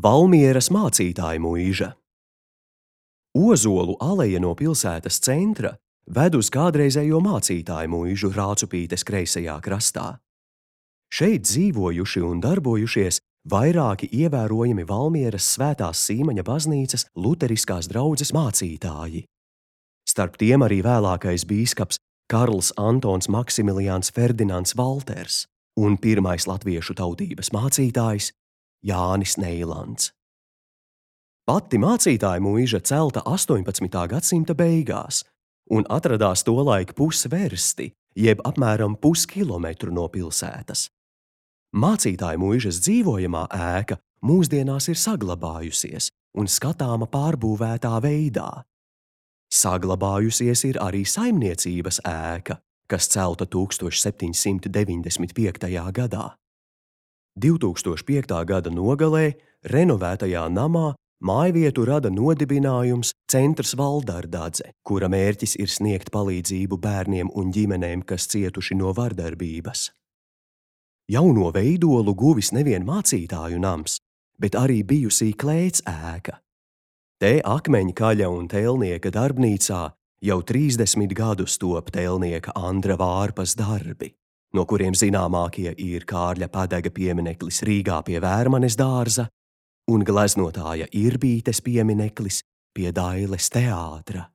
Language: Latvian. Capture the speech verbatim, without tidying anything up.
Valmieras mācītāja mūža. Ozolu aleja no pilsētas centra ved uz kādreizējo mācītāju mūžu Rācupītes kreisajā krastā. Šeit dzīvojuši un darbojušies vairāki ievērojami Valmieras Svētās Sīmaņa baznīcas luteriskās draudzes mācītāji. Starp tiem arī vēlākais bīskaps Karls Antons Maksimiliāns Ferdinands Valters un pirmais latviešu tautības mācītājs Jānis Neilands. Pati mācītāja mūža celta astoņpadsmitā gadsimta beigās un atradās tolaik pusversti, jeb apmēram puskilometru no pilsētas. Mācītāja mūžas dzīvojamā ēka mūsdienās ir saglabājusies un skatāma pārbūvētā veidā. Saglabājusies ir arī saimniecības ēka, kas celta tūkstoš septiņsimt deviņdesmit piektajā gadā. divtūkstoš piektā gada nogalē renovētajā namā mājvietu rada nodibinājums Centrs Valdardadze, kura mērķis ir sniegt palīdzību bērniem un ģimenēm, kas cietuši no vardarbības. Jauno veidolu guvis nevien mācītāju nams, bet arī bijusī klēts ēka. Te akmeņkaļa un tēlnieka darbnīcā jau trīsdesmit gadus top tēlnieka Andra Vārpas darbi, no kuriem zināmākie ir Kārļa Padega piemineklis Rīgā pie Vērmanes dārza un gleznotāja Irbītes piemineklis pie Dailes teātra.